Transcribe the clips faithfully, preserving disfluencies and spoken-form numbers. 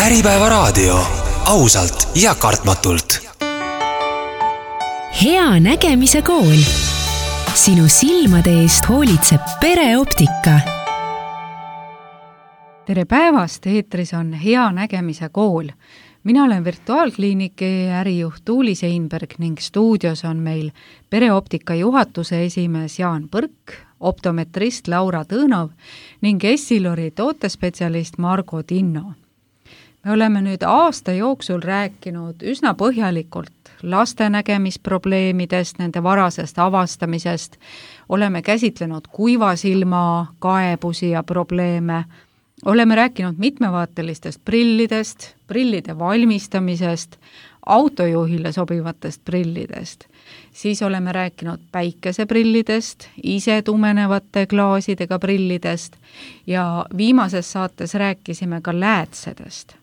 Äripäevaraadio, ausalt ja kartmatult. Hea nägemise kool. Sinu silmade eest hoolitseb pereoptika. Tere päevast, eetris on Hea nägemise kool. Mina olen virtuaalkliiniki ärijuht Tuuli Seinberg ning stuudios on meil pereoptika juhatuse esimees Jaan Põrk, optometrist Laura Tõõnov ning Essilori tootespetsialist Margo Tinno. Me oleme nüüd aasta jooksul rääkinud üsna põhjalikult laste nägemisprobleemidest, nende varasest avastamisest, oleme käsitlenud kuiva silma kaebusi ja probleeme, oleme rääkinud mitmevaatelistest prillidest, prillide valmistamisest, autojuhile sobivatest prillidest. Siis oleme rääkinud päikeseprillidest, ise tumenevate klaasidega prillidest ja viimases saates rääkisime ka läätsedest.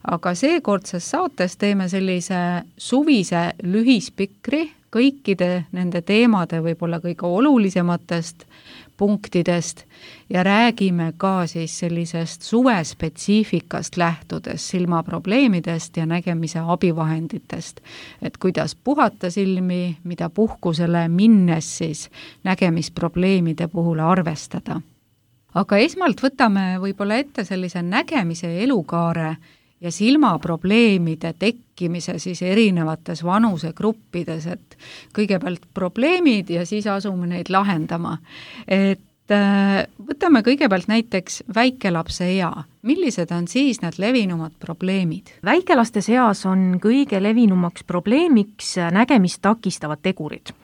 Aga seekordses saates teeme sellise suvise lühispikri kõikide nende teemade võib-olla kõige olulisematest punktidest ja räägime ka siis sellisest suvespetsiifikast lähtudes silmaprobleemidest ja nägemise abivahenditest, et kuidas puhata silmi, mida puhkusele minnes siis nägemisprobleemide puhul arvestada. Aga esmalt võtame võib-olla ette sellise nägemise elukaare ja silmaprobleemide tekkimise siis erinevates vanusegruppides, et kõigepealt probleemid ja siis asume neid lahendama. Et võtame kõigepealt näiteks väikelapse ea. Millised on siis need levinumad probleemid? Väikelaste seas on kõige levinumaks probleemiks nägemist takistavad tegurid.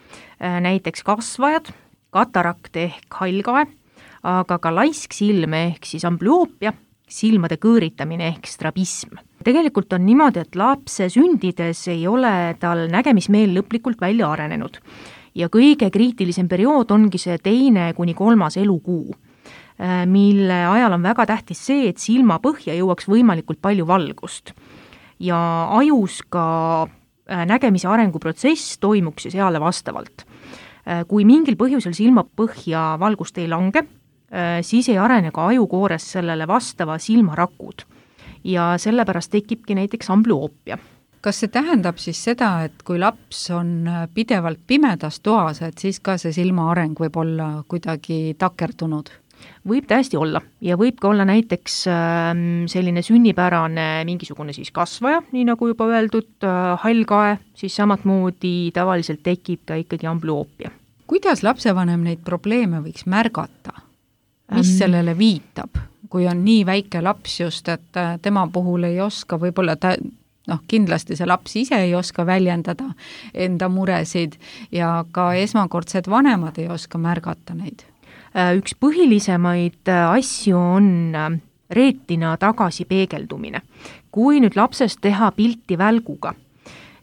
Näiteks kasvajad, katarakt ehk hallkae, aga ka laisk silm ehk siis amblüoopia, silmade kõõritamine ehk strabism. Tegelikult on niimoodi, et lapse sündides ei ole tal nägemismeel lõplikult välja arenenud ja kõige kriitilisem periood ongi see teine kuni kolmas elukuu, mille ajal on väga tähtis see, et silma põhja jõuaks võimalikult palju valgust ja ajus ka nägemise arenguprotsess toimuks ja seale vastavalt. Kui mingil põhjusel silma põhja valgust ei lange, siis ei arene ka ajukoores sellele vastava silmarakud ja sellepärast tekibki näiteks amblüoopia. Kas see tähendab siis seda, et kui laps on pidevalt pimedas toas, et siis ka see silma areng võib olla kuidagi takerdunud? Võib täiesti olla ja võib ka olla näiteks selline sünnipärane mingisugune siis kasvaja, nii nagu juba öeldud, hallkae, siis samatmoodi tavaliselt tekib ka ikkagi amblüoopia. Kuidas lapsevanem neid probleeme võiks märgata? Mis sellele viitab, kui on nii väike laps just, et tema puhul ei oska, võib-olla ta, noh, kindlasti see laps ise ei oska väljendada enda muresid ja ka esmakordsed vanemad ei oska märgata neid? Üks põhilisemaid asju on reetina tagasi peegeldumine. Kui nüüd lapsest teha pilti välguga,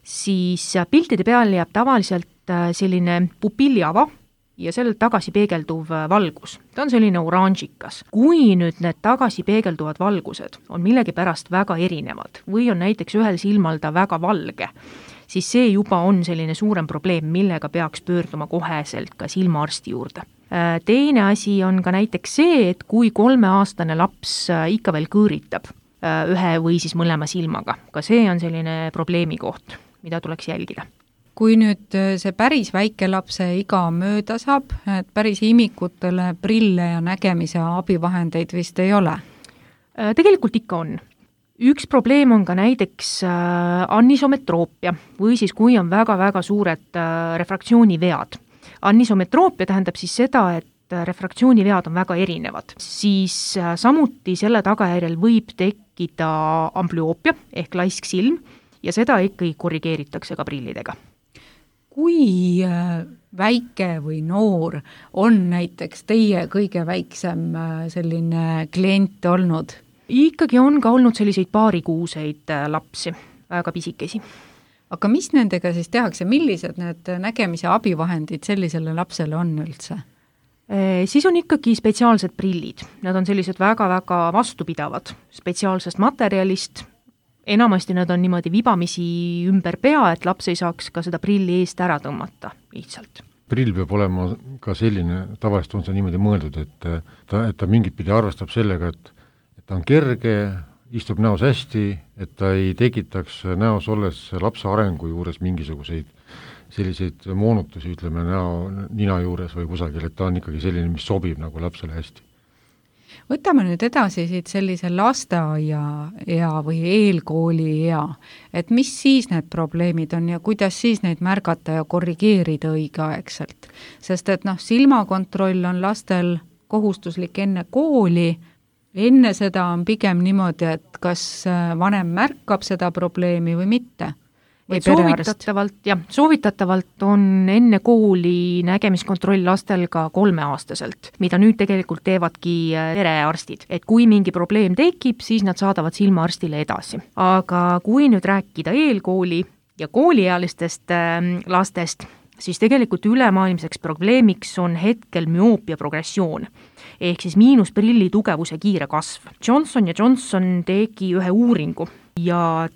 siis piltide peal jääb tavaliselt selline pupilliava, ja sellelt tagasi peegelduv valgus. Ta on selline oranžikas. Kui nüüd need tagasi peegelduvad valgused on millegi pärast väga erinevad või on näiteks ühel silmal ta väga valge, siis see juba on selline suurem probleem, millega peaks pöörduma koheselt ka silmaarsti juurde. Teine asi on ka näiteks see, et kui kolmeaastane laps ikka veel kõõritab ühe või siis mõlema silmaga, ka see on selline probleemi koht, mida tuleks jälgida. Kui nüüd see päris väike lapse iga mööda saab, et päris imikutele prille ja nägemise abivahendeid vist ei ole? Tegelikult ikka on. Üks probleem on ka näiteks anisometroopia või siis kui on väga-väga suured refraktsioonivead. Anisometroopia tähendab siis seda, et refraktsioonivead on väga erinevad. Siis samuti selle tagajärjel võib tekkida amblüoopia ehk laisk silm ja seda ikkagi korrigeeritakse ka prillidega. Kui väike või noor on näiteks teie kõige väiksem selline klient olnud? Ikkagi on ka olnud selliseid paarikuuseid lapsi, väga pisikesi. Aga mis nendega siis tehakse? Millised need nägemise abivahendid sellisele lapsele on üldse? Siis on ikkagi spetsiaalsed prillid. Nad on sellised väga-väga vastupidavad spetsiaalsest materjalist. Enamasti nad on niimoodi vibamisi ümber pea, et laps ei saaks ka seda prilli eest ära tõmmata lihtsalt. Prill peab olema ka selline, tavaliselt on see niimoodi mõeldud, et ta, et ta mingit pidi arvestab sellega, et, et ta on kerge istub näos hästi, et ta ei tekitaks näos olles lapse arengu juures mingisuguseid selliseid moonutusi, ütleme, näo, nina juures või kusagil, et ta on ikkagi selline, mis sobib nagu lapsele hästi. Võtame nüüd edasi siit sellise lasteaia ea või eelkooli ea, et mis siis need probleemid on ja kuidas siis neid märgata ja korrigeerida õigeaegselt. Sest et noh, silmakontroll on lastel kohustuslik enne kooli, enne seda on pigem niimoodi, et kas vanem märkab seda probleemi või mitte. Et soovitatavalt, jah, soovitatavalt on enne kooli nägemiskontroll lastel ka kolmeaastaselt, mida nüüd tegelikult teevadki perearstid. Et kui mingi probleem tekib, siis nad saadavad silmaarstile edasi. Aga kui nüüd rääkida eelkooli ja kooliealistest lastest, siis tegelikult ülemaailmseks probleemiks on hetkel müoopia progressioon, ehk siis miinusprilli tugevuse kiire kasv. Johnson ja Johnson tegi ühe uuringu ja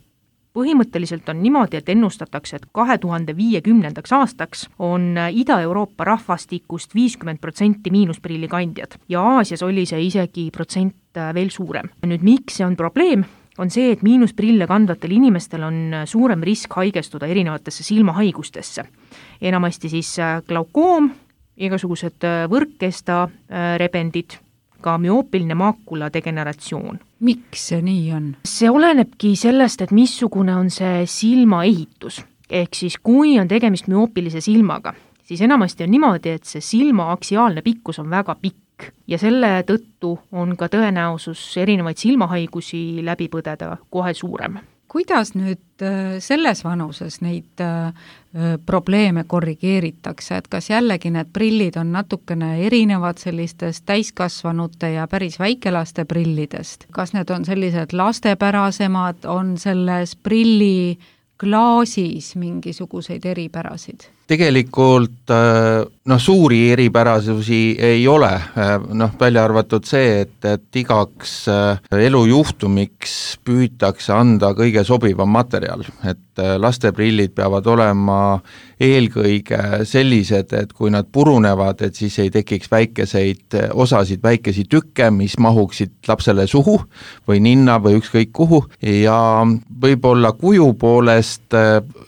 põhimõtteliselt on niimoodi, et ennustatakse, et kahe tuhande viiekümnendaks aastaks on Ida-Euroopa rahvastikust viiskümmend protsenti miinusprilli kandjad ja Aasias oli see isegi protsent veel suurem. Nüüd miks see on probleem? On see, et miinusprille kandvatel inimestel on suurem risk haigestuda erinevatesse silmahaigustesse. Enamasti siis glaukoom, igasugused võrkkesta rebendid, ka müoopiline maakula degeneratsioon. Miks see nii on? See olenebki sellest, et missugune on see silmaehitus. Ehk siis kui on tegemist müoopilise silmaga, siis enamasti on niimoodi, et see silma aksiaalne pikkus on väga pikk ja selle tõttu on ka tõenäosus erinevaid silmahaigusi läbi põdeda kohe suurem. Kuidas nüüd selles vanuses neid probleeme korrigeeritakse, et kas jällegi need prillid on natukene erinevad sellistest täiskasvanute ja päris väikelaste prillidest? Kas need on sellised lastepärasemad, on selles prilli klaasis mingisuguseid eripärasid? Tegelikult noh, suuri eripärasusi ei ole, noh, välja arvatud see, et, et igaks elujuhtumiks püütakse anda kõige sobivam materjal, et lasteprillid peavad olema eelkõige sellised, et kui nad purunevad, et siis ei tekiks väikeseid osasid, väikesi tükke, mis mahuksid lapsele suhu või ninna või ükskõik kuhu ja võib-olla kuju poolest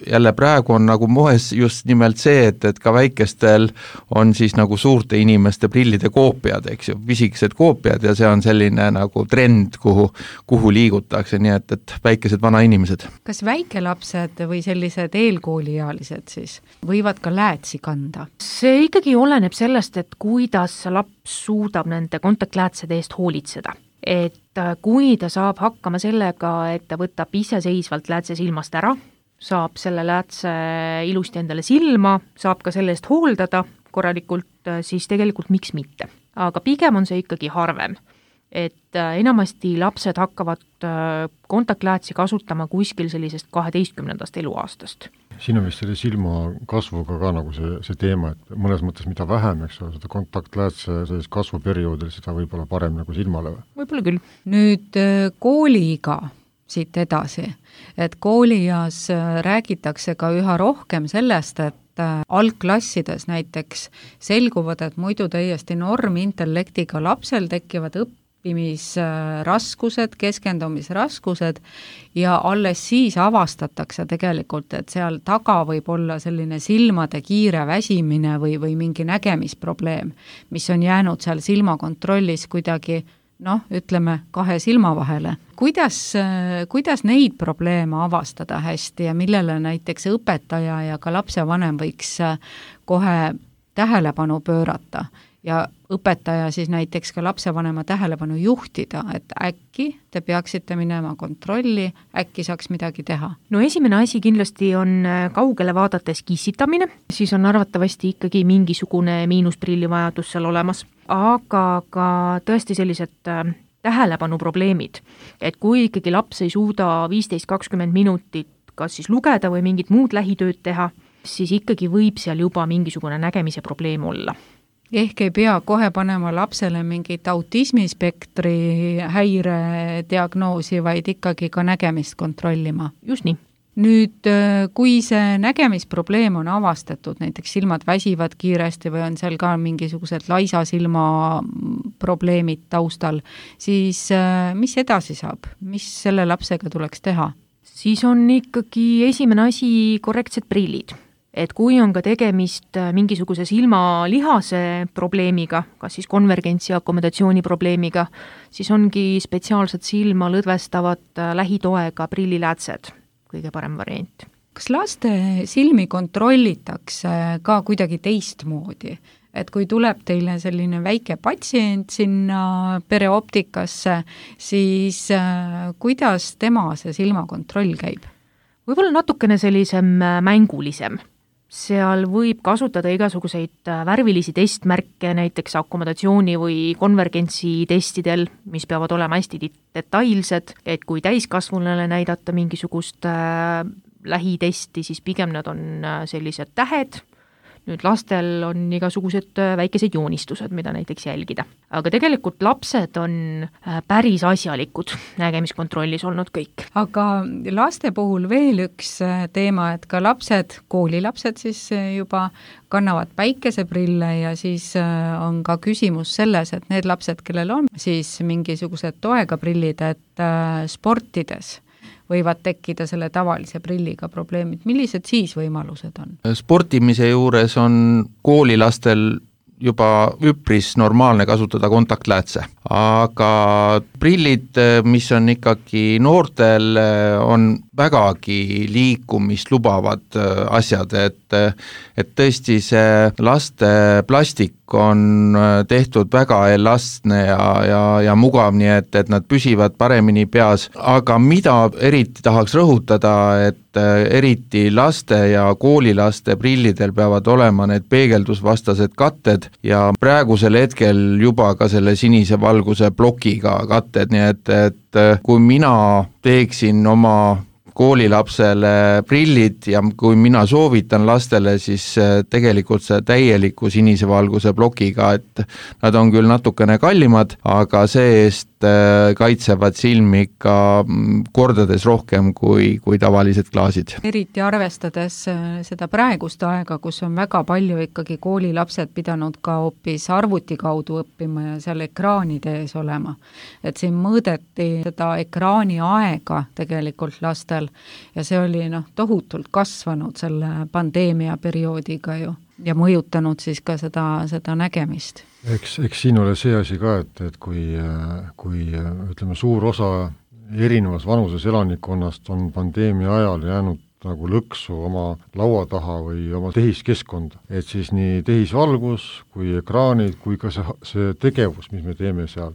jälle praegu on nagu moes just nimelt see, et, et ka väikestel on siis nagu suurte inimeste prillide koopiad, eks ju, pisikesed koopiad ja see on selline nagu trend, kuhu, kuhu liigutakse, nii et, et väikesed vanainimesed. Kas väikelapsed või sellised eelkooliealised siis võivad ka läätsi kanda? See ikkagi oleneb sellest, et kuidas laps suudab nende kontaktläätsede eest hoolitseda. Et kui ta saab hakkama sellega, et ta võtab iseseisvalt läätse silmast ära, saab selle läätse ilusti endale silma, saab ka selle eest hooldada korralikult, siis tegelikult miks mitte. Aga pigem on see ikkagi harvem, et enamasti lapsed hakkavad kontaktläätsi kasutama kuskil sellisest kaheteistkümnendast eluaastast. Siin on vist selle silma kasvuga ka nagu see, see teema, et mõnes mõttes mida vähem, eks ole, seda kontaktläätse sellist kasvuperioodil, seda võib-olla parem nagu silmale. Võib-olla küll. Nüüd kooliga siit edasi, et koolias räägitakse ka üha rohkem sellest, et algklassides näiteks selguvad, et muidu täiesti normintellektiga lapsel tekivad õppimisraskused, keskendumisraskused ja alles siis avastatakse tegelikult, et seal taga võib olla selline silmade kiire väsimine või, või mingi nägemisprobleem, mis on jäänud seal silmakontrollis kuidagi noh, ütleme kahe silma vahele. Kuidas, kuidas neid probleeme avastada hästi ja millele näiteks õpetaja ja ka lapsevanem võiks kohe tähelepanu pöörata ja õpetaja siis näiteks ka lapsevanema tähelepanu juhtida, et äkki te peaksite minema kontrolli, äkki saaks midagi teha? No esimene asi kindlasti on kaugele vaadates kissitamine, siis on arvatavasti ikkagi mingisugune miinusprilli vajadus seal olemas, aga ka tõesti sellised tähelepanu probleemid, et kui ikkagi laps ei suuda viisteist kakskümmend minutit kas siis lugeda või mingit muud lähitööd teha, siis ikkagi võib seal juba mingisugune nägemise probleem olla. Ehk ei pea kohe panema lapsele mingit autismispektri häire diagnoosi, vaid ikkagi ka nägemist kontrollima. Just nii. Nüüd, kui see nägemisprobleem on avastatud, näiteks silmad väsivad kiiresti või on seal ka mingisugused laisa silma probleemid taustal, siis mis edasi saab? Mis selle lapsega tuleks teha? Siis on ikkagi esimene asi korrektsed prillid. Et kui on ka tegemist mingisuguse silmalihase probleemiga, kas siis konvergentsi akomodatsiooni probleemiga, siis ongi spetsiaalsed silma lõdvestavad lähitoega prilliläätsed, kõige parem variant. Kas laste silmi kontrollitakse ka kuidagi teistmoodi? Et kui tuleb teile selline väike patsient sinna pereoptikasse, siis kuidas tema see silmakontroll käib? Võib-olla natukene sellisem mängulisem. Seal võib kasutada igasuguseid värvilisi testmärke, näiteks akomodatsiooni või konvergentsi testidel, mis peavad olema hästi detailsed, et kui täiskasvunule näidata mingisugust lähitesti, siis pigem nad on sellised tähed. Nüüd lastel on igasugused väikesed joonistused, mida näiteks jälgida. Aga tegelikult lapsed on päris asjalikud nägemiskontrollis olnud kõik. Aga laste puhul veel üks teema, et ka lapsed, koolilapsed siis juba kannavad päikeseprille ja siis on ka küsimus selles, et need lapsed, kellel on siis mingisugused toega prillid, et sportides võivad tekkida selle tavalise prilliga probleemid. Millised siis võimalused on? Sportimise juures on koolilastel juba üpris normaalne kasutada kontaktläätse, aga prillid, mis on ikkagi noortel, on vägagi liikumist lubavad asjad, et, et tõesti see laste plastik on tehtud väga elastne ja, ja, ja mugav, nii et, et nad püsivad paremini peas, aga mida eriti tahaks rõhutada, et eriti laste ja koolilaste prillidel peavad olema need peegeldusvastased katted ja praegusel hetkel juba ka selle sinise valguse plokiga katted, nii et, et kui mina teeksin oma koolilapsele prillid ja kui mina soovitan lastele, siis tegelikult see täieliku sinise valguse plokiga, et nad on küll natukene kallimad, aga see-eest kaitsevad silmi ikka kordades rohkem kui, kui tavalised klaasid. Eriti arvestades seda praegust aega, kus on väga palju ikkagi koolilapsed pidanud ka hoopis arvuti kaudu õppima ja seal ekraanide ees olema. Et siin mõõdeti seda ekraani aega tegelikult lastel ja see oli noh, tohutult kasvanud selle pandeemia perioodiga ju ja mõjutanud siis ka seda, seda nägemist. Eks, eks siin ole see asi ka, et, et kui, kui ütleme, suur osa erinevas vanuses elanikkonnast on pandeemia ajal jäänud nagu lõksu oma laua taha või oma tehiskeskkonda, et siis nii tehisvalgus kui ekraanid kui ka see, see tegevus, mis me teeme seal,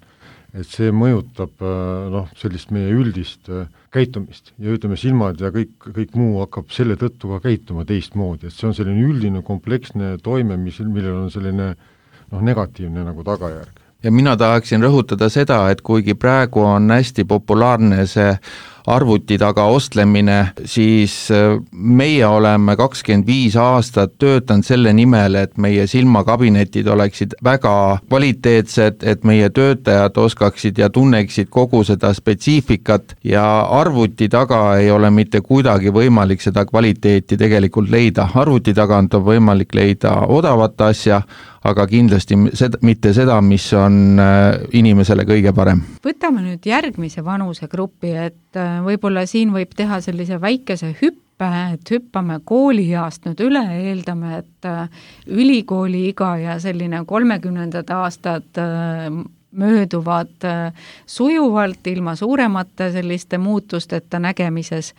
et see mõjutab noh, sellist meie üldist käitumist ja ütleme, silmad ja kõik, kõik muu hakkab selle tõttu ka käituma teistmoodi, et see on selline üldine kompleksne toime, mis, millel on selline noh, negatiivne nagu tagajärg. Ja mina tahaksin rõhutada seda, et kuigi praegu on hästi populaarne see arvuti taga ostlemine, siis meie oleme kakskümmend viis aastat töötanud selle nimel, et meie silmakabinetid oleksid väga kvaliteetsed, et meie töötajad oskaksid ja tunneksid kogu seda spetsiifikat ja arvuti taga ei ole mitte kuidagi võimalik seda kvaliteeti tegelikult leida. Arvuti tagant on võimalik leida odavat asja, aga kindlasti seda, mitte seda, mis on inimesele kõige parem. Võtame nüüd järgmise vanusegrupi, et võib-olla siin võib teha sellise väikese hüppe, et hüppame koolieast nüüd üle, eeldame, et ülikooli iga ja selline kolmekümnendad aastad mööduvad sujuvalt ilma suuremate selliste muutusteta nägemises,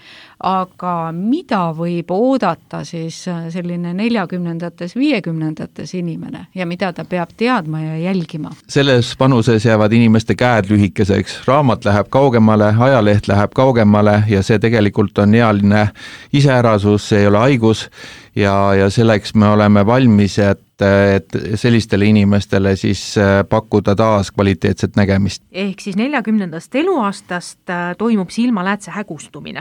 aga mida võib oodata siis selline neljakümnendates, viiekümnendates inimene ja mida ta peab teadma ja jälgima? Selles vanuses jäävad inimeste käed lühikeseks, raamat läheb kaugemale, ajaleht läheb kaugemale ja see tegelikult on ealine iseärasus, see ei ole haigus ja, ja selleks me oleme valmis, et et sellistele inimestele siis pakkuda taas kvaliteetset nägemist. Ehk siis neljakümnendast eluaastast toimub silmaläätse hägustumine.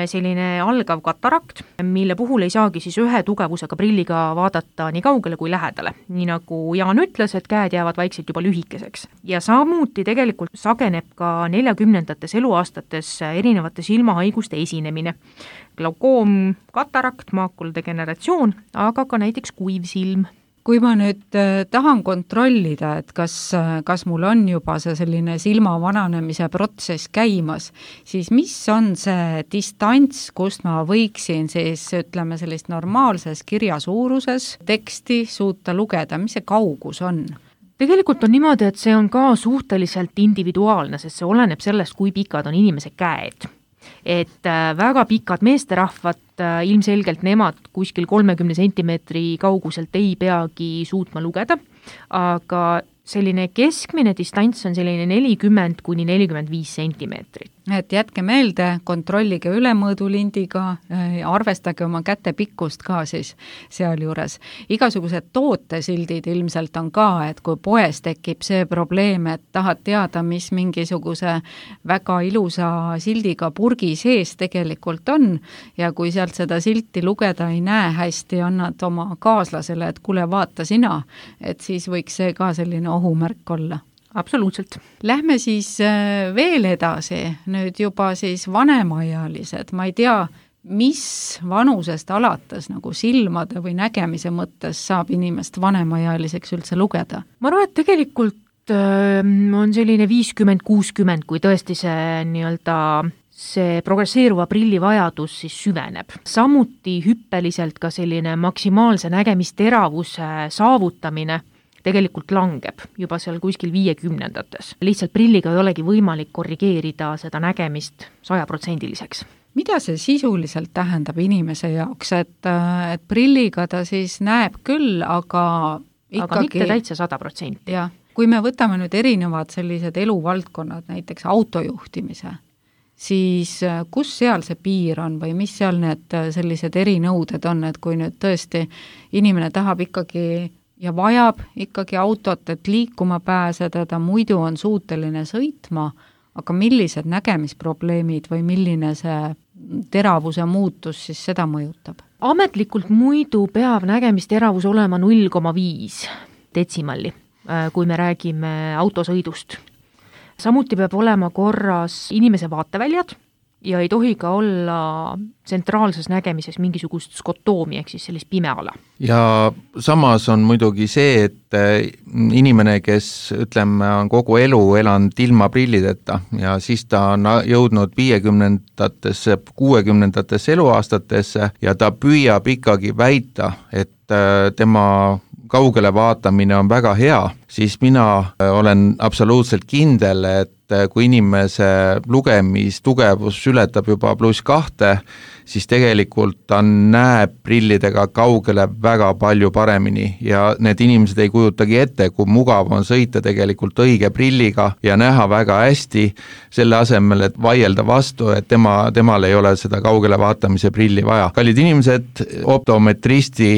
selline algav katarakt, mille puhul ei saagi siis ühe tugevusega prilliga vaadata nii kaugele kui lähedale. Nii nagu Jaan ütles, et käed jäävad vaikselt juba lühikeseks. Ja samuti tegelikult sageneb ka neljakümnendates eluaastates erinevate silmahaiguste esinemine. Glaukoom, katarakt, maakuladegeneratsioon, aga ka näiteks kuiv silm. Kui ma nüüd tahan kontrollida, et kas, kas mul on juba see selline silma vananemise protsess käimas, siis mis on see distants, kust ma võiksin siis, ütleme, sellist normaalses kirjasuuruses teksti suuta lugeda, mis see kaugus on? Tegelikult on niimoodi, et see on ka suhteliselt individuaalne, sest see oleneb sellest, kui pikad on inimese käed. Et väga pikad meesterahvad, ilmselgelt nemad kuskil kolmekümne sentimeetri kauguselt ei peagi suutma lugeda, aga selline keskmine distants on selline nelikümmend kuni nelikümmend viis sentimeetrit. Et jätke meelde, kontrollige ülemõõdulindiga, arvestage oma käte pikkust ka siis seal juures. Igasugused tootesildid ilmselt on ka, et kui poes tekib see probleem, et tahad teada, mis mingisuguse väga ilusa sildiga purgi sees tegelikult on ja kui sealt seda silti lugeda ei näe hästi, annad oma kaaslasele, et kuule, vaata sina, et siis võiks see ka selline ohumärk olla. Absoluutselt. Lähme siis veel edasi, nüüd juba siis vanemaealised, ma ei tea, mis vanusest alates nagu silmade või nägemise mõttes saab inimest vanemaealiseks üldse lugeda? Ma arvan, et tegelikult on selline viiskümmend kuuskümmend, kui tõesti see nii-öelda see progresseeruva prilli vajadus siis süveneb. Samuti hüppeliselt ka selline maksimaalse nägemisteravuse saavutamine tegelikult langeb juba seal kuskil viiekümnendates. Lihtsalt prilliga ei olegi võimalik korrigeerida seda nägemist sajaprotsendiliseks. Mida see sisuliselt tähendab inimese jaoks, et, et prilliga ta siis näeb küll, aga ikkagi... Aga mitte täitsa sada protsenti. Jah, kui me võtame nüüd erinevad sellised eluvaldkonnad, näiteks autojuhtimise, siis kus seal see piir on või mis seal need sellised erinõuded on, et kui nüüd tõesti inimene tahab ikkagi ja vajab ikkagi autot, et liikuma pääseda, ta muidu on suuteline sõitma, aga millised nägemisprobleemid või milline see teravuse muutus siis seda mõjutab? Ametlikult muidu peab nägemisteravus olema null koma viis detsimalli, kui me räägime autosõidust. Samuti peab olema korras inimese vaateväljad ja ei tohi ka olla tsentraalses nägemises mingisugust skotoomi, ehk siis sellist pimeala. Ja samas on muidugi see, et inimene, kes ütleme, on kogu elu elanud ilma prillideta ja siis ta on jõudnud viiekümnendatesse, kuuekümnendatesse eluaastatesse ja ta püüab ikkagi väita, et tema kaugele vaatamine on väga hea, siis mina olen absoluutselt kindel, et kui inimese lugemistugevus ületab juba pluss kahte, siis tegelikult ta näeb prillidega kaugele väga palju paremini ja need inimesed ei kujutagi ette, kui mugav on sõita tegelikult õige prilliga ja näha väga hästi, selle asemel, et vaielda vastu, et tema, temal ei ole seda kaugele vaatamise prilli vaja. Kallid inimesed, optometristi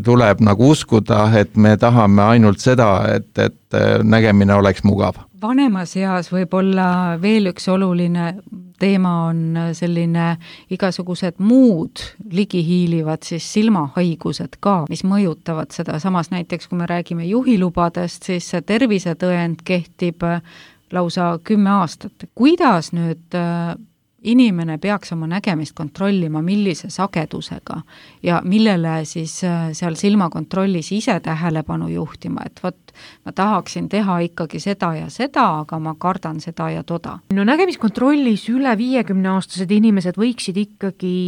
tuleb nagu uskuda, et me tahame ainult seda, et, et nägemine oleks mugav. Vanemas eas võib-olla veel üks oluline teema on selline igasugused muud ligihiilivad siis silmahaigused ka, mis mõjutavad seda. Samas näiteks, kui me räägime juhilubadest, siis see tervisetõend kehtib lausa kümme aastat. Kuidas nüüd inimene peaks oma nägemist kontrollima, millise sagedusega ja millele siis seal silmakontrollis ise tähelepanu juhtima, et vot ma tahaksin teha ikkagi seda ja seda, aga ma kardan seda ja toda. No nägemiskontrollis üle viiekümne aastased inimesed võiksid ikkagi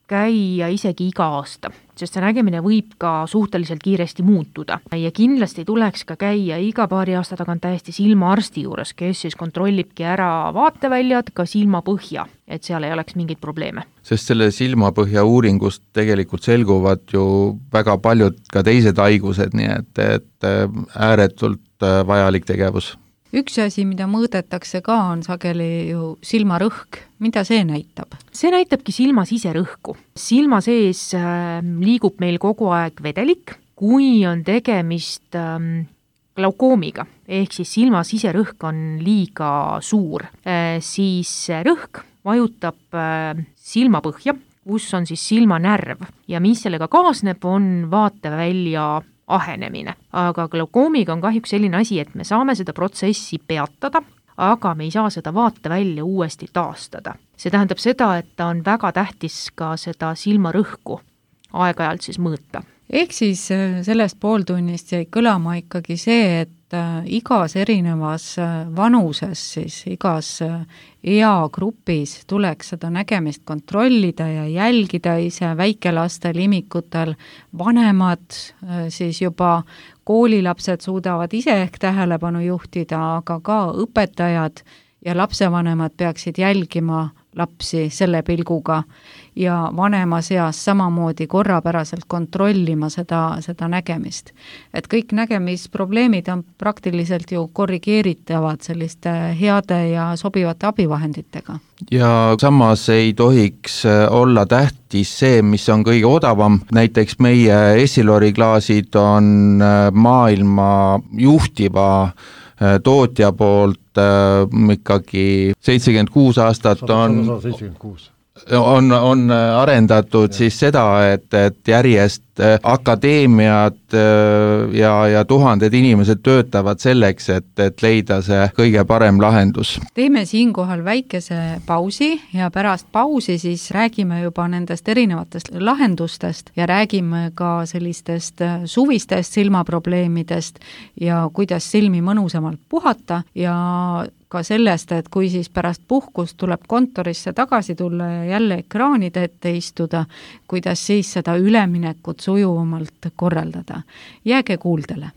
käia isegi iga aasta, sest see nägemine võib ka suhteliselt kiiresti muutuda. Ja kindlasti tuleks ka käia iga paari aasta tagant täiesti silmaarsti juures, kes siis kontrollibki ära vaateväljad, ka silmapõhja, et seal ei oleks mingeid probleeme. Sest selle silmapõhja uuringust tegelikult selguvad ju väga paljud ka teised haigused, nii et, et ääretult vajalik tegevus. Üks asi, mida mõõdetakse ka, on sageli ju silmarõhk. Mida see näitab? See näitabki silma siserõhku. Silma sees liigub meil kogu aeg vedelik, kui on tegemist glaukoomiga, ehk siis silma siserõhk on liiga suur, siis rõhk vajutab silmapõhja, kus on siis silmanärv ja mis sellega kaasneb, on vaatevälja ahenemine. aga glaukoomiga on kahjuks selline asi, et me saame seda protsessi peatada, aga me ei saa seda vaatevälja uuesti taastada. See tähendab seda, et ta on väga tähtis ka seda silmarõhku aeg-ajalt siis mõõta. Ehk siis sellest pooltunnist jäi kõlama ikkagi see, et igas erinevas vanuses, siis igas eagrupis tuleks seda nägemist kontrollida ja jälgida ise väikelastel, imikutel, vanemad, siis juba koolilapsed suudavad ise ehk tähelepanu juhtida, aga ka õpetajad ja lapsevanemad peaksid jälgima lapsi selle pilguga ja vanemas eas samamoodi korrapäraselt kontrollima seda, seda nägemist. Et kõik nägemisprobleemid on praktiliselt ju korrigeeritavad selliste heade ja sobivate abivahenditega. Ja samas ei tohiks olla tähtis see, mis on kõige odavam. Näiteks meie Essilori klaasid on maailma juhtiva tootja poolt ikkagi seitsekümmend kuus aastat on, on, on arendatud siis seda, et, et järjest akadeemiad ja, ja tuhanded inimesed töötavad selleks, et, et leida see kõige parem lahendus. Teeme siinkohal väikese pausi ja pärast pausi siis räägime juba nendest erinevatest lahendustest ja räägime ka sellistest suvistest silmaprobleemidest ja kuidas silmi mõnusamalt puhata ja ka sellest, et kui siis pärast puhkust tuleb kontorisse tagasi tulla ja jälle ekraanide ette istuda, kuidas siis seda üleminekut sujuvamalt korraldada. Jääge kuuldele.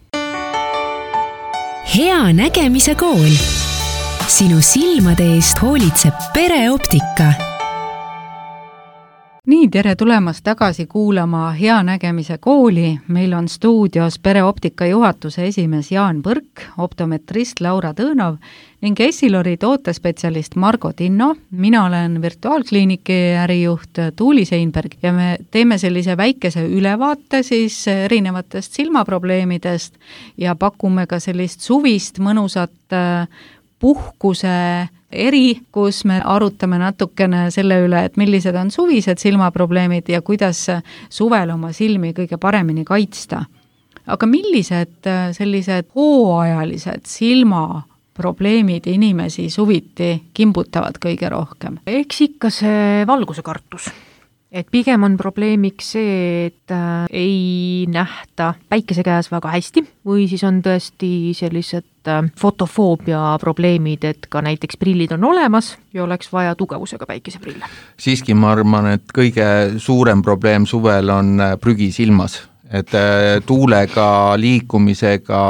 Hea nägemise kool. Sinu silmade eest hoolitseb pereoptika. Nii, tere tulemast tagasi kuulama Hea nägemise kooli. Meil on stuudios pereoptika juhatuse esimees Jaan Põrk, optometrist Laura Tõõnov ning Essilori tootespetsialist Margo Tinno. Mina olen virtuaalkliiniki ärijuht Tuuli Seinberg ja me teeme sellise väikese ülevaate siis erinevatest silmaprobleemidest ja pakume ka sellist suvist mõnusat puhkuse eri, kus me arutame natukene selle üle, et millised on suvised silmaprobleemid ja kuidas suvel oma silmi kõige paremini kaitsta. Aga millised sellised hooajalised silmaprobleemid inimesi suviti kimbutavad kõige rohkem? Eks ikka see valguse kartus. Et pigem on probleemiks see, et äh, ei nähta päikese käes väga hästi või siis on tõesti sellised äh, fotofoobia probleemid, et ka näiteks prillid on olemas ja oleks vaja tugevusega päikeseprille. Siiski ma arvan, et kõige suurem probleem suvel on prügi silmas. Et tuulega, liikumisega,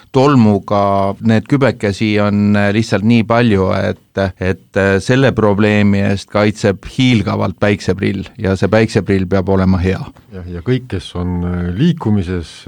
tolmuga, need kübekesi on lihtsalt nii palju, et, et selle probleemi eest kaitseb hiilgavalt päikseprill ja see päikseprill peab olema hea. Ja, ja kõik, kes on liikumises,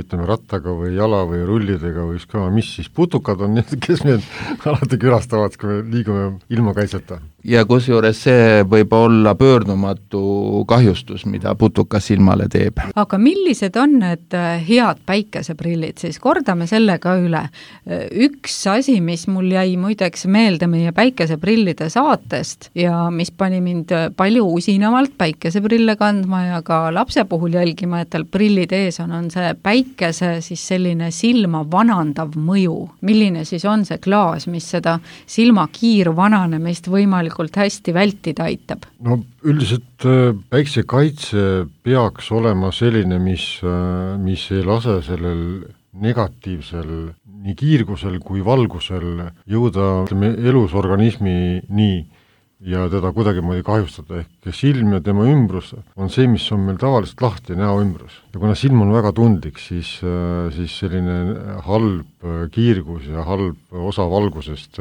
ütleme rattaga või jala või rullidega või ükskõik mis, siis putukad on need, kes meid alati külastavad, kui me liigume ilma kaitseta. Ja kusjuures see võib olla pöördumatu kahjustus, mida putukas silmale teeb. Aga millised on need head päikeseprillid, siis kordame selle ka üle. Üks asi, mis mul jäi muideks meelde meie päikeseprillide saatest ja mis pani mind palju usinamalt päikeseprille kandma ja ka lapse puhul jälgima, et tal prillid ees on, on see päikese siis selline silma vanandav mõju. Milline siis on see klaas, mis seda silma kiirvananemist võimalikult hästi vältida aitab? No üldiselt päiksekaitse peaks olema selline, mis, mis ei lase sellel negatiivsel nii kiirgusel kui valgusel jõuda elus organismi nii ja teda kuidagi moodi kahjustada. Ehk silm ja tema ümbrus on see, mis on meil tavaliselt lahti, näo ümbrus. Ja kuna silm on väga tundlik, siis, siis selline halb kiirgus ja halb osa valgusest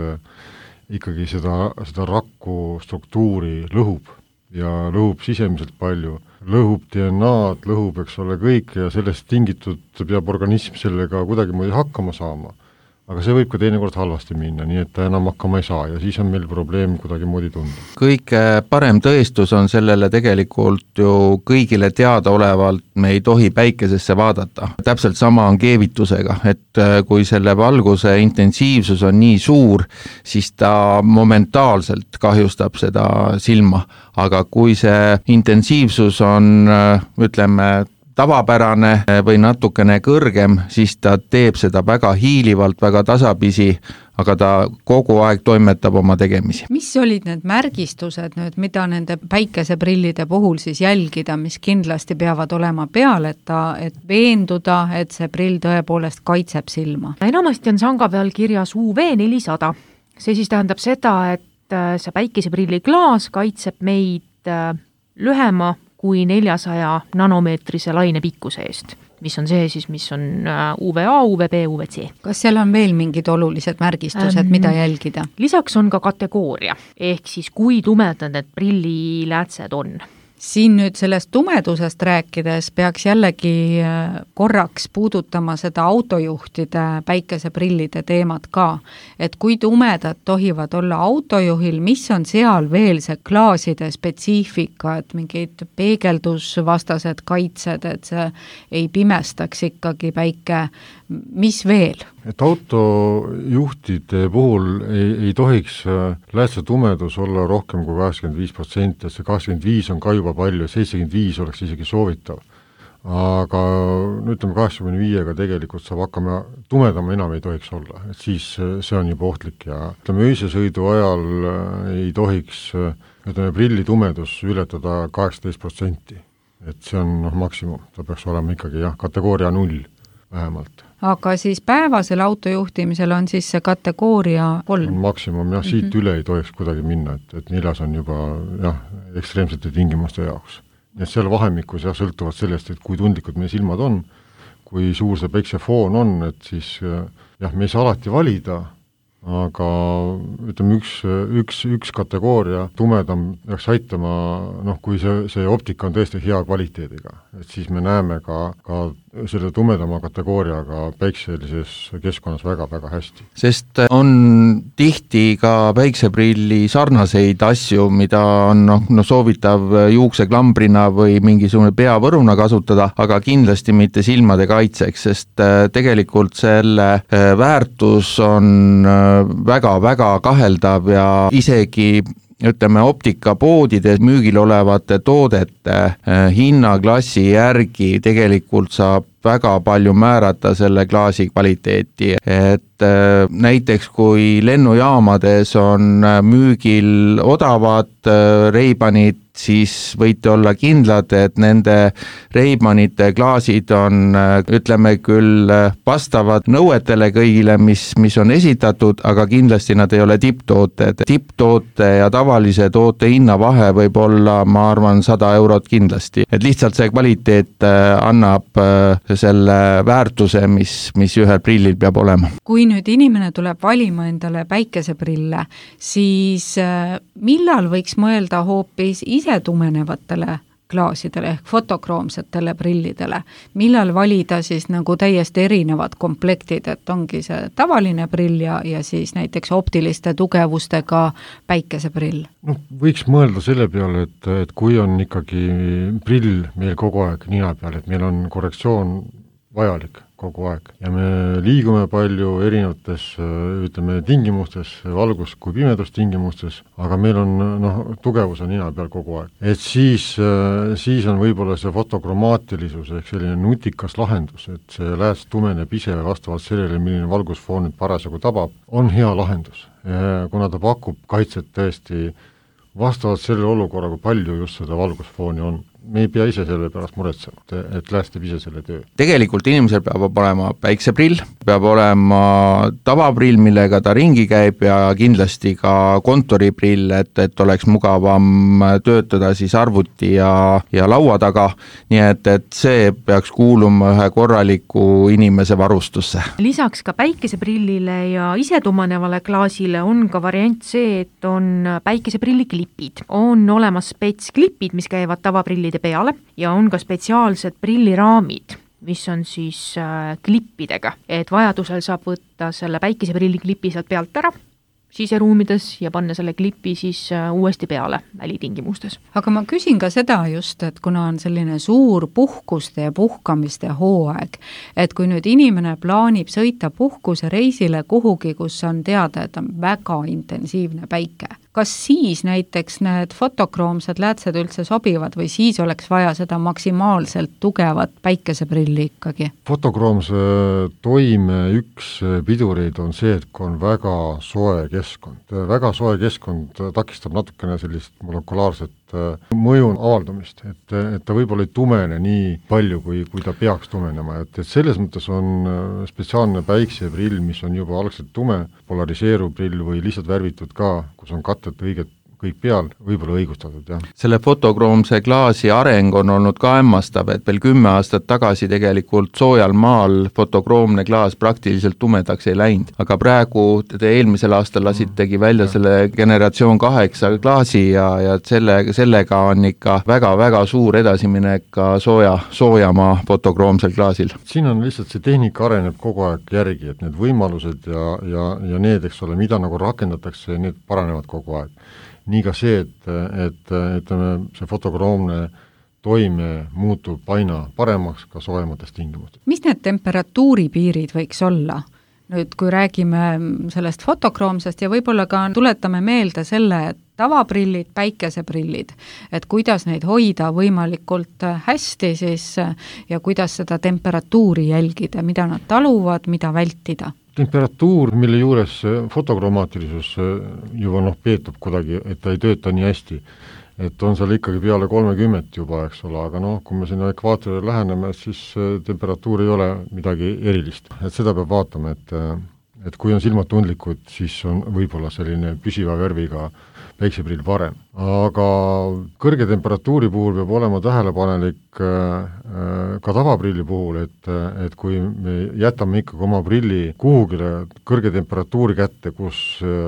ikkagi seda, seda rakku struktuuri lõhub ja lõhub sisemiselt palju. Lõhub D N A-d, lõhub, eks ole, kõik ja sellest tingitud peab organism sellega kuidagi moodi hakkama saama. aga see võib ka teinekord halvasti minna, nii et ta enam hakkama ei saa ja siis on meil probleem kuidagi moodi tunda. Kõige parem tõestus on sellele tegelikult ju kõigile teadaolevalt, me ei tohi päikesesse vaadata. Täpselt sama on keevitusega, et kui selle valguse intensiivsus on nii suur, siis ta momentaalselt kahjustab seda silma, aga kui see intensiivsus on, ütleme, tavapärane või natukene kõrgem, siis ta teeb seda väga hiilivalt, väga tasapisi, aga ta kogu aeg toimetab oma tegemisi. Mis olid need märgistused nüüd, mida nende päikeseprillide puhul siis jälgida, mis kindlasti peavad olema peal, et, ta, et veenduda, et see prill tõepoolest kaitseb silma? Enamasti on sanga peal kirjas U V nelisada. See siis tähendab seda, et see päikeseprilli klaas kaitseb meid lühema kui neljasaja nanomeetrise laine pikkuse eest, mis on see siis, mis on U V A, U V B, U V C. Kas seal on veel mingid olulised märgistused, ähm, mida jälgida? Lisaks on ka kategooria, ehk siis kui tumedad need prilliläätsed on. Siin nüüd sellest tumedusest rääkides peaks jällegi korraks puudutama seda autojuhtide päikeseprillide teemat ka, et kui tumedad tohivad olla autojuhil, mis on seal veel see klaaside spetsiifika, et mingid peegeldusvastased kaitsed, et see ei pimestaks ikkagi päike, mis veel? Et autojuhtide puhul ei, ei tohiks läätse tumedus olla rohkem kui kaheksakümmend viis protsenti, et see kaheksakümmend viis on ka juba palju, seitsekümmend viis oleks isegi soovitav. Aga no ütleme kaheksakümne viiega tegelikult saab hakkama, tumedama enam ei tohiks olla, et siis see on juba ohtlik ja ütleme öisesõidu ajal ei tohiks ütleme prilli tumedus ületada kaheksateist protsenti, et see on noh, maksimum, ta peaks olema ikkagi jah, kategooria null vähemalt. Aga siis päevasel autojuhtimisel on siis see kategooria kolm? Maksimum, jah, siit mm-hmm. üle ei tohiks kuidagi minna, et, et neljas on juba jah, ekstreemsete tingimuste jaoks. Ja seal vahemikus jah, sõltuvad sellest, et kui tundlikud meie silmad on, kui suur see päiksefoon on, et siis jah, me ei saa alati valida, aga ütleme, üks, üks, üks kategooria tumedam peaks aitama, noh, kui see, see optika on tõesti hea kvaliteediga, et siis me näeme ka, ka selle tumedama kategooriaga päikselises keskkonnas väga-väga hästi. Sest on tihti ka päikseprilli sarnaseid asju, mida on no, no soovitav juukseklambrina või mingisugune peavõruna kasutada, aga kindlasti mitte silmade kaitseks, sest tegelikult selle väärtus on väga-väga kaheldav ja isegi ütleme, optikapoodides müügil olevate toodete hinnaklassi järgi tegelikult saab väga palju määrata selle klaasi kvaliteeti, et näiteks kui lennujaamades on müügil odavad Ray-Banid, siis võite olla kindlad, et nende Ray-Banite klaasid on, ütleme küll, vastavad nõuetele kõigile, mis, mis on esitatud, aga kindlasti nad ei ole tipptooted. Tipptoote ja tavalise toote hinna vahe võib olla, ma arvan, sada eurot kindlasti. Et lihtsalt see kvaliteet annab selle väärtuse, mis, mis ühel prillil peab olema. Kui nüüd inimene tuleb valima endale päikeseprille, siis millal võiks mõelda hoopis ise tumenevatele klaasidele ehk fotokroomsetele prillidele? Millal valida siis nagu täiesti erinevad komplektid, et ongi see tavaline prill ja, ja siis näiteks optiliste tugevustega päikeseprill? No, võiks mõelda selle peale, et, et kui on ikkagi prill meil kogu aeg nina peal, et meil on korrektsioon vajalik kogu aeg ja me liigume palju erinevates, ütleme, tingimustes, valgus- kui pimedustingimustes, aga meil on, noh, tugevus on nina peal kogu aeg. Et siis, siis on võib-olla see fotokromaatilisus ehk selline nutikas lahendus, et see lääs tumeneb ise vastavalt sellele, milline valgusfoon nüüd parasjagu tabab, on hea lahendus. Ja kuna ta pakub kaitset tõesti vastavalt selle olukorra, kui palju just seda valgusfooni on. Me ei pea ise selle pärast muretsema, et läästab ise selle töö. Tegelikult inimesel peab olema päikseprill, peab olema tavaprill, millega ta ringi käib ja kindlasti ka kontoriprill, et, et oleks mugavam töötada siis arvuti ja, ja laua taga, nii et, et see peaks kuuluma ühe korraliku inimese varustusse. Lisaks ka päikeseprillile ja isetumanevale klaasile on ka variant see, et on päikeseprilliklipid. On olemas spetsklipid, mis käivad tavaprillide peale ja on ka spetsiaalsed prilliraamid, mis on siis klippidega, et vajadusel saab võtta selle päikeseprilli klipi sealt pealt ära siseruumides ja panna selle klipi siis uuesti peale välitingimustes. Aga ma küsin ka seda just, et kuna on selline suur puhkuste ja puhkamiste hooaeg, et kui nüüd inimene plaanib sõita puhkuse reisile kuhugi, kus on teada, et on väga intensiivne päike, kas siis näiteks need fotokroomsed läätsed üldse sobivad või siis oleks vaja seda maksimaalselt tugevat päikeseprilli ikkagi? Fotokroomse toime üks pidureid on see, et kui on väga soe keskkond. Väga soe keskkond takistab natukene sellist molekulaarset mõju avaldumist, et, et ta võib-olla ei tumene nii palju, kui, kui ta peaks tumenema, et, et selles mõttes on spetsiaalne päikseprill, mis on juba algselt tume, polariseeruv prill või lihtsalt värvitud ka, kus on katted õiget kõik peal, võib-olla õigustatud, jah. Selle fotokroomse klaasi areng on olnud ka hämmastav, et veel kümme aastat tagasi tegelikult soojal maal fotokroomne klaas praktiliselt tumedaks ei läinud, aga praegu te eelmisel aastal lasitegi välja selle generatsioon kaheksa klaasi ja, ja selle, sellega on ikka väga-väga suur edasiminek ka sooja, soojamaa fotokroomsel klaasil. Siin on lihtsalt see tehnika areneb kogu aeg järgi, et need võimalused ja, ja, ja need, eks ole, mida nagu rakendatakse, need paranevad kogu aeg. Nii ka see, et, et, et see fotokroomne toime muutub aina paremaks ka soojemates tingimustes. Mis need temperatuuripiirid võiks olla? Nüüd, kui räägime sellest fotokroomsest ja võib-olla ka tuletame meelde selle, et tavaprillid, päikeseprillid, et kuidas neid hoida võimalikult hästi siis ja kuidas seda temperatuuri jälgida, mida nad taluvad, mida vältida? Temperatuur, mille juures fotokromaatilisus juba noh, peetub kuidagi, et ta ei tööta nii hästi, et on seal ikkagi peale kolmekümmet juba, eks ole, aga noh, kui me sinna ekvaatorile läheneme, siis temperatuur ei ole midagi erilist. Et seda peab vaatama, et, et kui on silmad tundlikud, siis on võib-olla selline püsiva värviga päikseprill parem. Aga kõrge temperatuuri puhul peab olema tähelepanelik ka tavaprilli puhul, et, et kui me jätame ikkagi oma prilli kuhugile kõrge temperatuuri kätte, kus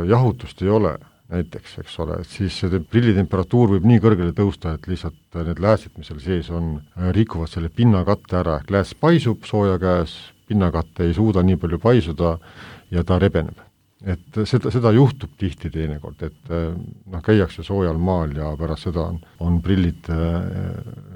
jahutust ei ole, näiteks, eks ole, siis see prilli temperatuur võib nii kõrgele tõusta, et lihtsalt need läätsid, mis seal sees on, rikuvad selle pinnakatte ära, ehk lääs paisub sooja käes, pinnakatte ei suuda nii palju paisuda ja ta rebeneb. Et seda, seda juhtub tihti teinekord, et noh, käiakse soojal maal ja pärast seda on, on prillid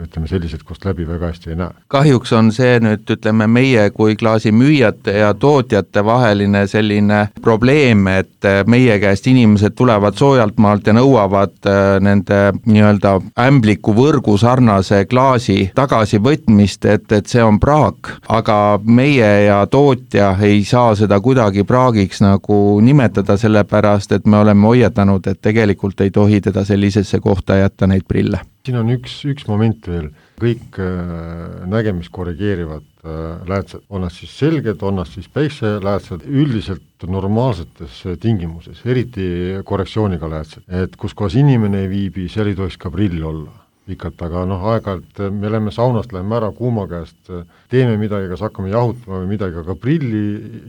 ütleme sellised, kust läbi väga hästi ei näe. Kahjuks on see nüüd, ütleme, meie kui klaasimüüjate ja tootjate vaheline selline probleem, et meie käest inimesed tulevad soojalt maalt ja nõuavad nende nii-öelda ämbliku võrgu sarnase klaasi tagasivõtmist, et, et see on praak, aga meie ja tootja ei saa seda kuidagi praagiks nagu nimetada sellepärast, et me oleme hoiatanud, et tegelikult ei tohi teda sellisesse kohta jätta neid prille. Siin on üks, üks moment veel, kõik äh, nägemist korrigeerivad äh, läätsed, on nad siis selged, on nad siis päikseläätsed, üldiselt normaalsetes tingimuses, eriti korrektsiooniga läätsed, et kus kohas inimene ei viibi, seal ei tohiks ka prill olla pikalt, aga noh, aeg-ajalt me läheme saunast, läheme ära kuuma käest, teeme midagi, kas hakkame jahutama või midagi, aga prilli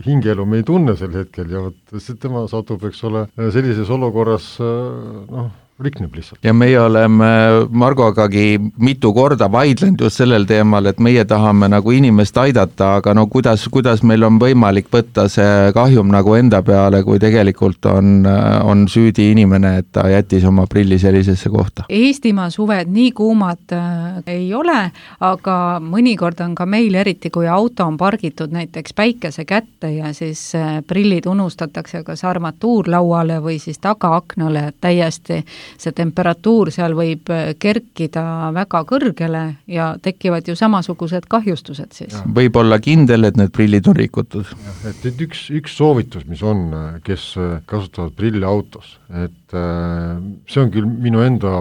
hingeelu me ei tunne sel hetkel ja võt, see tema satub, eks ole, sellises olukorras noh, rikneb lihtsalt. Ja meie oleme Margogagi mitu korda vaidlenud just sellel teemal, et meie tahame nagu inimest aidata, aga no kuidas, kuidas meil on võimalik võtta see kahjum nagu enda peale, kui tegelikult on, on süüdi inimene, et ta jättis oma prilli sellisesse kohta. Eestimaa suved nii kuumad äh, ei ole, aga mõnikord on ka meil, eriti kui auto on pargitud näiteks päikese kätte ja siis äh, prillid unustatakse kas armatuurlauale või siis tagaaknale täiesti see temperatuur seal võib kerkida väga kõrgele ja tekivad ju samasugused kahjustused siis. Võib olla kindel, et need prillid on rikutud. Et, et üks, üks soovitus, mis on, kes kasutavad prilli autos, et see on küll minu enda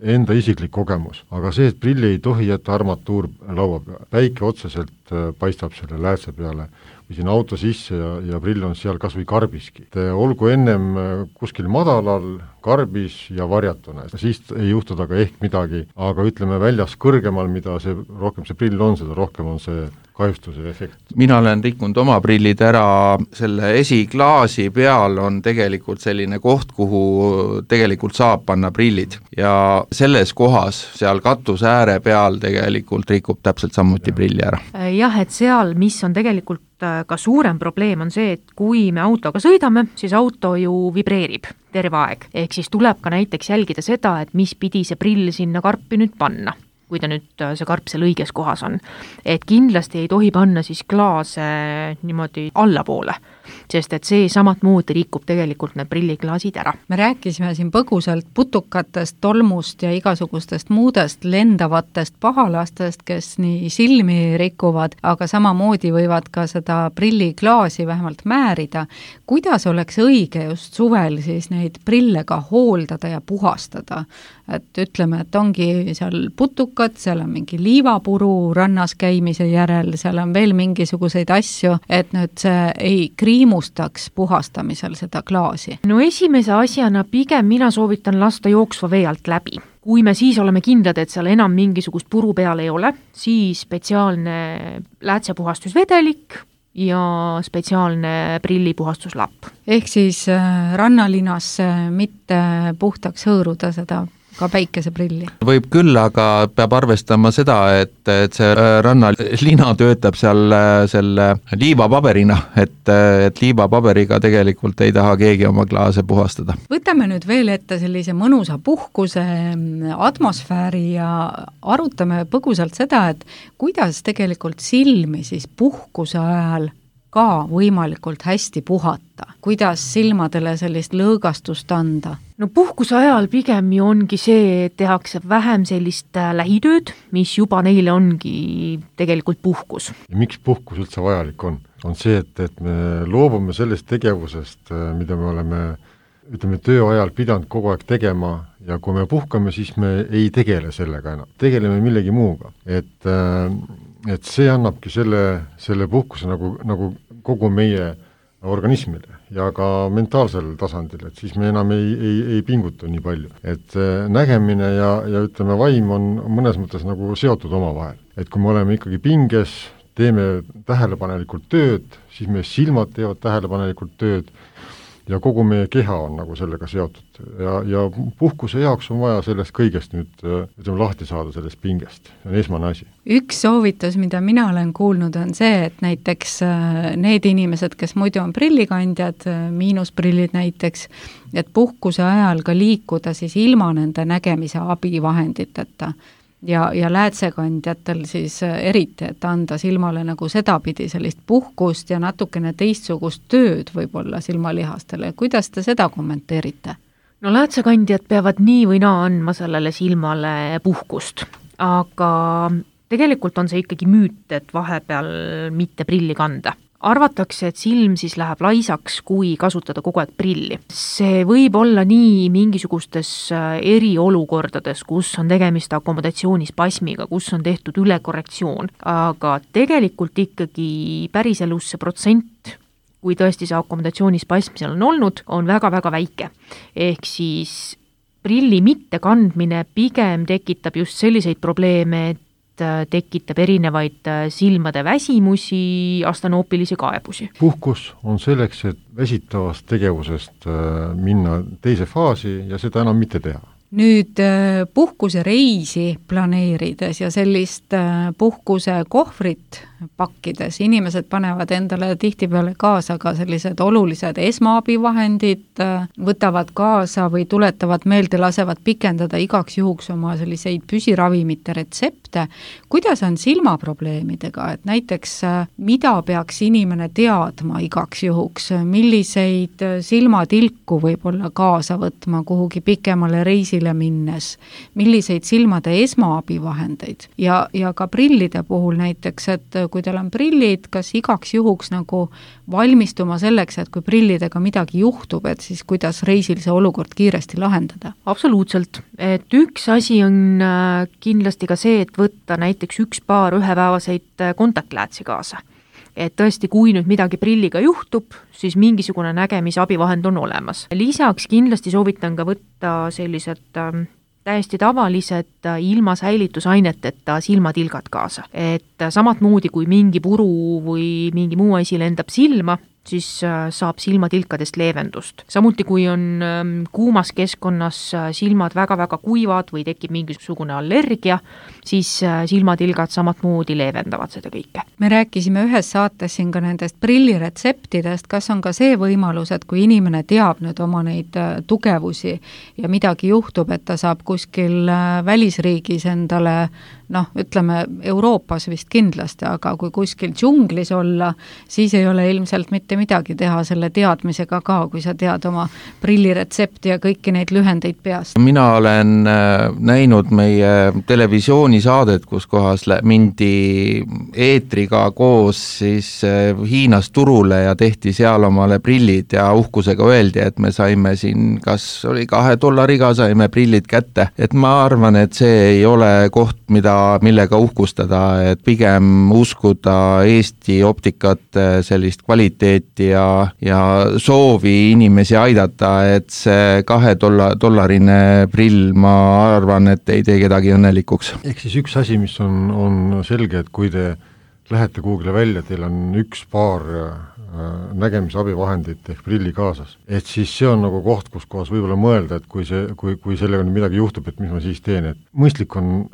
enda isiklik kogemus, aga see, et prilli ei tohi jätta armatuur laua peale. Päike otseselt paistab selle läätse peale või siin auto sisse ja, ja prill on seal kas või karbiski. Et olgu ennem kuskil madalal, karbis ja varjatuna, siis ei juhtu taga ehk midagi, aga ütleme väljas kõrgemal, mida see, rohkem see prill on, seda rohkem on see kahjustuse efekt. Mina olen rikkunud oma prillid ära, selle esiklaasi peal on tegelikult selline koht, kuhu tegelikult saab panna prillid ja selles kohas, seal katuse ääre peal tegelikult rikub täpselt samuti ja. Prilli ära. jah, et seal, mis on tegelikult ka suurem probleem, on see, et kui me autoga sõidame, siis auto ju vibreerib terve aeg. Ehk siis tuleb ka näiteks jälgida seda, et mis pidi see prill sinna karpi nüüd panna, kui ta nüüd see karp seal õiges kohas on. Et kindlasti ei tohi panna siis klaase niimoodi allapoole, sest et see samat moodi rikub tegelikult need prilliklaasid ära. Me rääkisime siin põgusalt putukatest, tolmust ja igasugustest muudest lendavatest pahalastest, kes nii silmi rikuvad, aga samamoodi võivad ka seda prilliklaasi vähemalt määrida. Kuidas oleks õige just suvel siis neid prille ka hooldada ja puhastada? Et ütleme, et ongi seal putukad, seal on mingi liivapuru rannas käimise järel, seal on veel mingisuguseid asju, et nüüd see ei kriimustaks puhastamisel seda klaasi. No esimese asjana pigem mina soovitan lasta jooksva vee alt läbi. Kui me siis oleme kindlad, et seal enam mingisugust puru peal ei ole, siis spetsiaalne läätsepuhastusvedelik ja spetsiaalne prillipuhastuslapp. Ehk siis rannalinasse mitte puhtaks hõõruda seda ka päikeseprilli. Võib küll, aga peab arvestama seda, et, et see rannalina töötab seal selle liivapaberina, et, et liivapaberiga tegelikult ei taha keegi oma klaase puhastada. Võtame nüüd veel ette sellise mõnusa puhkuse atmosfääri ja arutame põgusalt seda, et kuidas tegelikult silmi siis puhkuse ajal ka võimalikult hästi puhata. Kuidas silmadele sellist lõõgastust anda? No puhkuse ajal pigem ju ongi see, et tehakse vähem sellist lähitööd, mis juba neile ongi tegelikult puhkus. Ja miks puhkus üldse vajalik on? On see, et, et me loobume sellest tegevusest, mida me oleme ütleme, töö ajal pidanud kogu aeg tegema ja kui me puhkame, siis me ei tegele sellega enam. Tegeleme millegi muuga. Et, et see annabki selle, selle puhkuse nagu, nagu kogu meie organismile ja ka mentaalsel tasandil, et siis me enam ei, ei, ei pinguta nii palju. Et nägemine ja, ja ütleme, vaim on mõnes mõttes nagu seotud omavahel. Et kui me oleme ikkagi pinges, teeme tähelepanelikult tööd, siis meie silmad teevad tähelepanelikult tööd ja kogu meie keha on nagu sellega seotud. Ja, ja puhkuse jaoks on vaja sellest kõigest nüüd ütleme, lahti saada sellest pingest. See on esmane asi. Üks soovitus, mida mina olen kuulnud, on see, et näiteks need inimesed, kes muidu on prillikandjad, miinusprillid näiteks, et puhkuse ajal ka liikuda siis ilma nende nägemise abivahenditeta. Ja, ja läätsekandjatel siis eriti, et anda silmale nagu sedapidi sellist puhkust ja natukene teistsugust tööd võib-olla silmalihastele. Kuidas te seda kommenteerite? No läätsekandjad peavad nii või naa andma sellele silmale puhkust, aga tegelikult on see ikkagi müüt, et vahepeal mitte prilli kanda. Arvatakse, et silm siis läheb laisaks, kui kasutada kogu aeg prilli. See võib olla nii mingisugustes eriolukordades, kus on tegemist akomodatsioonispasmiga, kus on tehtud ülekorrektsioon, aga tegelikult ikkagi päriselus see protsent, kui tõesti see akomodatsioonispasm seal on olnud, on väga-väga väike. Ehk siis prilli mittekandmine pigem tekitab just selliseid probleeme, et tekitab erinevaid silmade väsimusi, astanoopilisi kaebusi. Puhkus on selleks, et väsitavast tegevusest minna teise faasi ja seda enam mitte teha. Nüüd puhkuse reisi planeerides ja sellist puhkuse kohvrit pakkides, inimesed panevad endale tihtipeale kaasa ka sellised olulised esmaabivahendid, võtavad kaasa või tuletavad meelde, lasevad pikendada igaks juhuks oma selliseid püsiravimite retsepte. Kuidas on silmaprobleemidega, et näiteks mida peaks inimene teadma igaks juhuks, milliseid silmatilku võib-olla kaasa võtma kuhugi pikemale reisile minnes, milliseid silmade esmaabivahendeid ja, ja ka prillide puhul näiteks, et kui teil on prillid, kas igaks juhuks nagu valmistuma selleks, et kui prillidega midagi juhtub, et siis kuidas reisil see olukord kiiresti lahendada? Absoluutselt, et üks asi on kindlasti ka see, et võtta näiteks üks paar ühepäevaseid kontaktläätsi kaasa. Et tõesti, kui nüüd midagi prilliga juhtub, siis mingisugune nägemisabivahend on olemas. Lisaks kindlasti soovitan ka võtta sellised täiesti tavalised ilma säilitusaineteta silmatilgad kaasa. Et samat moodi, kui mingi puru või mingi muu asi lendab silma, siis saab silmatilkadest leevendust. samuti, kui on kuumas keskkonnas silmad väga-väga kuivad või tekib mingisugune allergia, siis silmatilgad samamoodi leevendavad seda kõike. Me rääkisime ühes saates siin ka nendest prilliretseptidest, kas on ka see võimalus, et kui inimene teab nüüd oma neid tugevusi ja midagi juhtub, et ta saab kuskil välisriigis endale, noh, ütleme Euroopas vist kindlasti, aga kui kuskil džunglis olla, siis ei ole ilmselt mitte midagi teha selle teadmisega ka, kui sa tead oma prilliretsepti ja kõiki neid lühendeid peast. Mina olen näinud meie televisioonisaadet, kus kohas mindi eetriga koos siis Hiinas turule ja tehti seal omale prillid ja uhkusega öeldi, et me saime siin, kas oli kahe dollariga saime prillid kätte. Et ma arvan, et see ei ole koht, mida, millega uhkustada, et pigem uskuda Eesti optikat, sellist kvaliteeti ja, ja soovi inimesi aidata, et see kahe dolla, dollarine prill, ma arvan, et ei tee kedagi õnnelikuks. Ehk siis üks asi, mis on, on selge, et kui te lähete kuhugile välja, teil on üks paar nägemisabivahendit ehk prilli kaasas, et siis see on nagu koht, kus kohas võib-olla mõelda, et kui, see, kui, kui sellega midagi juhtub, et mis ma siis teen, et mõistlik on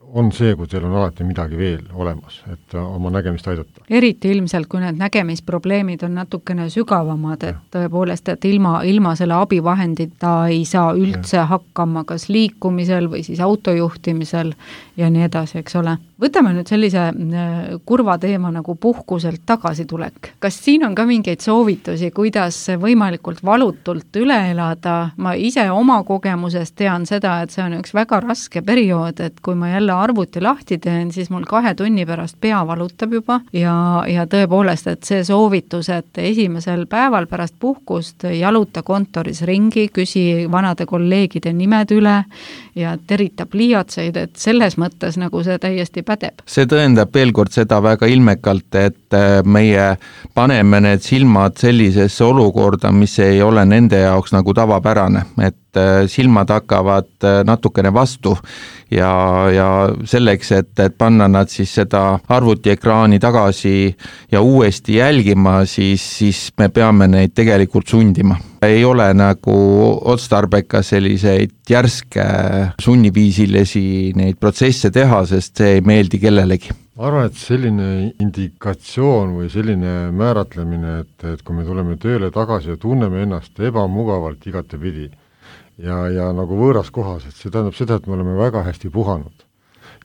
on see, kui teil on alati midagi veel olemas, et oma nägemist aidata. Eriti ilmselt, kui need nägemisprobleemid on natukene sügavamad, et tõepoolest, et ilma, ilma selle abivahendita ei saa üldse ja. hakkama kas liikumisel või siis autojuhtimisel ja nii edasi, eks ole. Võtame nüüd sellise kurva teema nagu puhkuselt tagasitulek. Kas siin on ka mingeid soovitusi, kuidas võimalikult valutult üle elada? Ma ise oma kogemusest tean seda, et see on üks väga raske periood, et kui ma jälle arvuti lahti teen, siis mul kahe tunni pärast pea valutab juba ja, ja tõepoolest, et see soovitus, et esimesel päeval pärast puhkust jaluta kontoris ringi, küsi vanade kolleegide nimed üle ja terita pliiatseid, et selles mõttes nagu see täiesti pädeb. See tõendab veel kord seda väga ilmekalt, et meie paneme need silmad sellisesse olukorda, mis ei ole nende jaoks nagu tavapärane, et silmad hakkavad natukene vastu ja, ja selleks, et, et panna nad siis seda arvutiekraani tagasi ja uuesti jälgima, siis, siis me peame neid tegelikult sundima. Ei ole nagu otstarbeka selliseid järske sunniviisilisi neid protsesse teha, sest see ei meeldi kellelegi. Ma arvan, et selline indikatsioon või selline määratlemine, et, et kui me tuleme tööle tagasi ja tunneme ennast ebamugavalt igatepidi ja, ja nagu võõras kohas, et see tähendab seda, et me oleme väga hästi puhanud.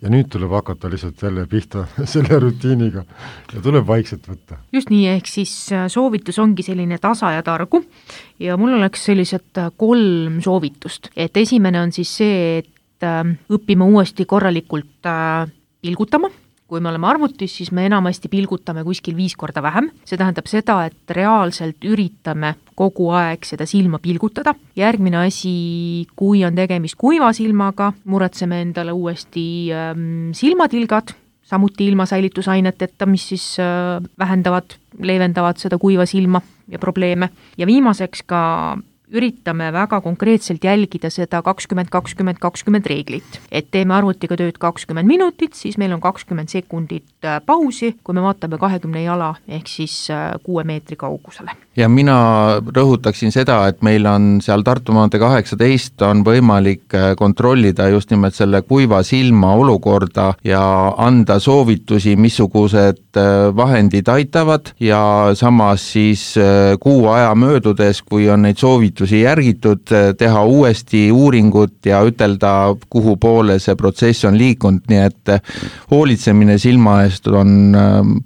Ja nüüd tuleb hakata lihtsalt jälle pihta selle rutiiniga ja tuleb vaikselt võtta. Just nii, ehk siis soovitus ongi selline tasa ja targu ja mul oleks sellised kolm soovitust. Et esimene on siis see, et õppime uuesti korralikult pilgutama. Kui me oleme arvutis, siis me enamasti pilgutame kuskil viis korda vähem. See tähendab seda, et reaalselt üritame kogu aeg seda silma pilgutada. Järgmine asi, kui on tegemist kuiva silmaga, muretseme endale uuesti ähm, silmatilgad, samuti ilma säilitusaineteta, mis siis äh, vähendavad, leevendavad seda kuiva silma ja probleeme. Ja viimaseks ka üritame väga konkreetselt jälgida seda kakskümmend kakskümmend kakskümmend reeglit. Et teeme arvutiga tööd kakskümmend minutit, siis meil on kakskümmend sekundit pausi, kui me vaatame kahekümne jala ehk siis kuue meetri kaugusele. Ja mina rõhutaksin seda, et meil on seal Tartu maantee kaheksateist on võimalik kontrollida just nimelt selle kuiva silma olukorda ja anda soovitusi, missugused vahendid aitavad ja samas siis kuu aja möödudes, kui on neid soovitusi järgitud, teha uuesti uuringut ja ütelda, kuhu poole see protsess on liikunud, nii et hoolitsemine silma eest on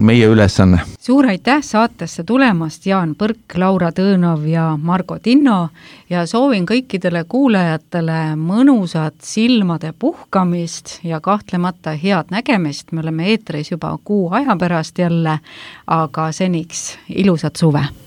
meie ülesanne. Suur aitäh saatesse tulemast, Jaan Põrk, Laura Tõõnov ja Margo Tinno ja soovin kõikidele kuulajatele mõnusat silmade puhkamist ja kahtlemata head nägemist. Me oleme eetris juba kuu aja pärast jälle, aga seniks ilusat suve!